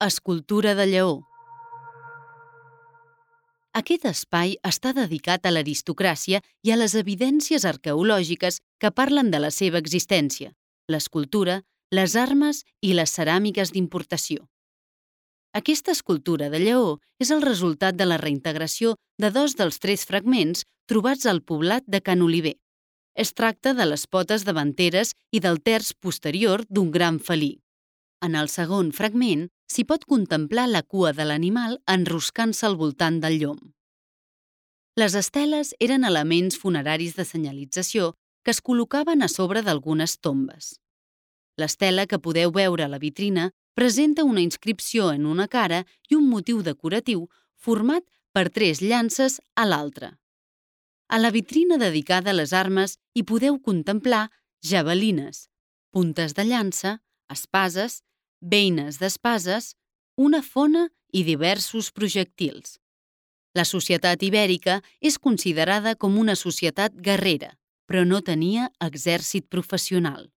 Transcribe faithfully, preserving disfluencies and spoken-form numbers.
Escultura de lleó. Aquest espai està dedicat a l'aristocràcia i a les evidències arqueològiques que parlen de la seva existència, l'escultura, les armes i les ceràmiques d'importació. Aquesta escultura de lleó és el resultat de la reintegració de dos dels tres fragments trobats al poblat de Can Oliver. Es tracta de les potes davanteres i del terç posterior d'un gran felí. En el segon fragment s'hi pot contemplar la cua de l'animal enroscant-se al voltant del llom. Les esteles eren elements funeraris de senyalització que es col·locaven a sobre d'algunes tombes. L'estela que podeu veure a la vitrina presenta una inscripció en una cara i un motiu decoratiu format per tres llances a l'altra. A la vitrina dedicada a les armes hi podeu contemplar javelines, puntes de llança, espases, beines d'espases, una fona i diversos projectils. La societat ibèrica és considerada com una societat guerrera, però no tenia exèrcit professional.